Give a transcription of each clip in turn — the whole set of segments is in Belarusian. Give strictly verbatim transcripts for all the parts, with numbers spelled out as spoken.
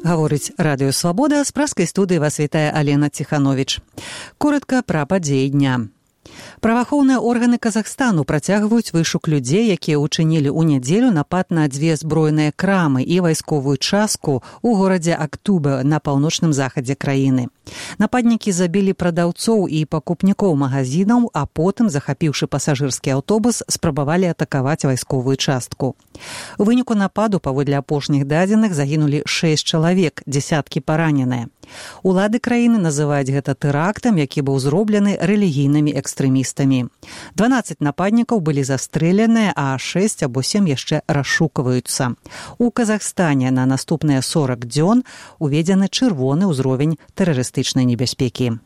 Гаворыць Радыё Свабода, з праскай студыі вас вітае Алена Ціхановіч. Коротка пра падзеі дня. Праваахоўныя органы Казахстану працягваюць вышук людзей, якія ўчынілі ў нядзелю напад на дзве збройныя крамы і вайсковую частку ў горадзе Актубе на паўночным захадзе краіны. Нападнікі забілі прадаўцоў і пакупнікоў магазінаў, а потым, захапіўшы пасажырскі аўтобус, спрабавалі атакаваць вайсковую частку. У выніку нападу, паводле апошніх дадзеных, загінулі шэсць чалавек, дзесяткі параненыя. Улады краіны называюць гэта тэрактам, які быў зроблены рэлігійнымі экстрэмістамі. дванаццаць нападнікаў былі застрэленыя, а шэсць або сем яшчэ расшукваюцца. У Казахстане на наступныя сорак дзён уведзены чырвоны ўзровень тэрарыстычнай небяспекі.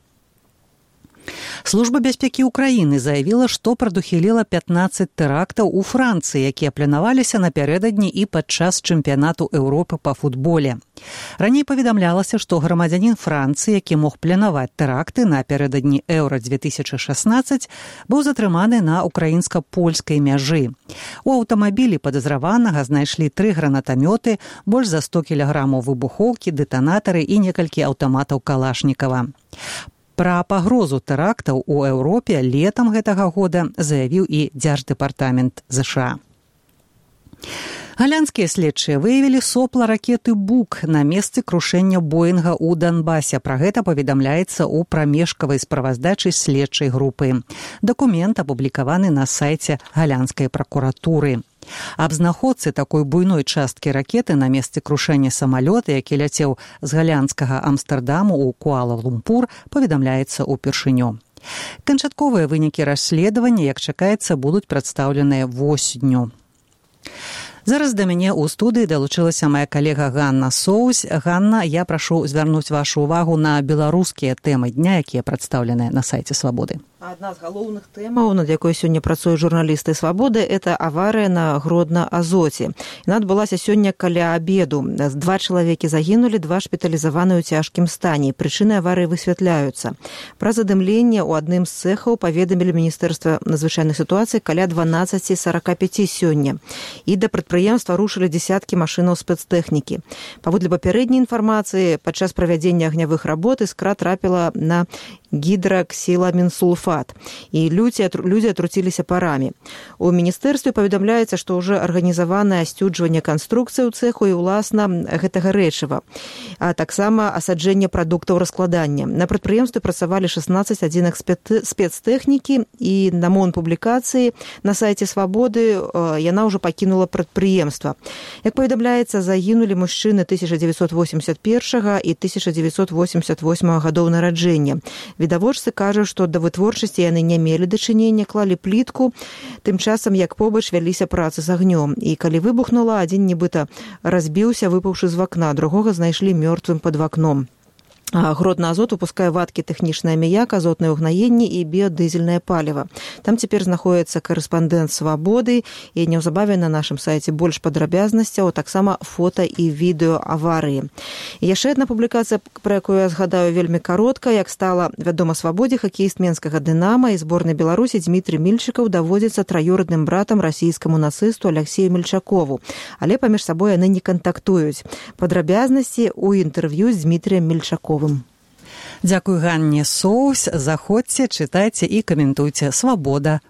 Служба бяспекі Украіны заявіла, што прадухіліла пятнаццаць тэрактаў у Францыі, якія планаваліся напярэдадні і падчас чэмпіянату Еўропы па футболе. Раней паведамлялася, што грамадзянін Францыі, які мог планаваць тэракты напярэдадні Еўра две тысячы шаснаццаць, быў затрыманы на украінска-польскай мяжы. У аўтамабілі падазраванага знайшлі тры гранатамёты, больш за сто кілаграмаў выбухоўкі, дэтанатары і некалькі аўтаматаў Калашнікава. Пра пагрозу тэрактаў у Еўропе летам гэтага года заявіў і Дзярждэпартамент ЗША. Галянскія следчыя выявілі сопла ракеты «Бук» на месцы крушэння Боінга ў Донбасе. Пра гэта паведамляецца ў прамежкавай справаздачы следчай групы. Дакумент апублікаваны на сайце Галянскай пракуратуры. Аб знаходцы такой буйной часткі ракеты на месцы крушэння самалёта, які ляцеў з галянскага Амстэрдаму ў Куала-Лумпур, паведамляецца ўпершыню. Канчатковыя вынікі расследавання, як чакаецца, будуць прадстаўленыя восенню. Зараз да мяне ў студыі далучылася моя калега Ганна Соусь. Ганна, я прашу звярнуць вашу ўвагу на беларускія тэмы дня, якія прадстаўленыя на сайце Свабоды. Адна з галоўных тэмаў, над якой сёння працуюць журналісты Свабоды, это аварыя на Гродна-Азоце. Яна адбылася сёння каля абеду. Два чалавекі загінулі, два шпіталізаваны ў цяжкім стане. Прычыны аварыі высвятляюцца. Пра задымленне ў адным з цэхаў паведамілі Міністэрства надзвычайных сітуацый каля дванаццаць сорок пяць сёння. І да прадпрыемства рушылі дзесяткі машынаў спецтэхнікі. Паводле папярэдняй інфармацыі, падчас правядзення агнявых работ іскра трапіла на гідраксіламінсульфат, і людзі, людзі атруціліся парамі. У міністэрстве паведамляецца, што ўжо арганізаванае асцюджванне канструкцыі ў цэху і, уласна, гэтага рэчыва, а таксама асаджэнне прадуктаў раскладання. На прадпрыемстве працавалі шаснаццаць адзінак спецтэхнікі, і на момант публікацыі на сайце Свабоды яна ўжо пакінула прадпрыемства. Як паведамляецца, загінулі мужчыны тысяча дзевяцьсот восемьдесят первого і тысяча дзевяцьсот восемьдесят восьмого гадоў нараджэння. Відавочцы кажуць, што да вытворчасці яны не мелі дачынення, клалі плітку, тым часам, як побач вяліся працы з агнём. І калі выбухнула, адзін нібыта разбіўся, выпаўшы з вакна, другога знайшлі мёртвым пад вакном. Гродна-Азот выпускае вадкі тэхнічны аміяк, азотнае ўгнаенне і біядызельнае паліва. Там цяпер знаходіцца карэспандэнт Свабоды, і неўзабаве на нашым сайце больш падрабязнасцяў, таксама фота і відэо аварыі. І яшчэ адна публікацыя, пра якую я згадаю вельмі каротка. Як стала вядома Свабодзе, хакеіст менскага «Дынама» і зборнай Беларусі Дзмітрый Мільчыкаў даводзіцца траюродным братам расійскаму нацысту Аляксею Мільчакову. Але паміж сабой яны не кантактуюць. Падрабязнасці ў інтэрв'ю з Дзмітрыем Мільчаковым. Дзякуй Ганне Соусь. Заходзьце, чытайце і каментуйце Свабода.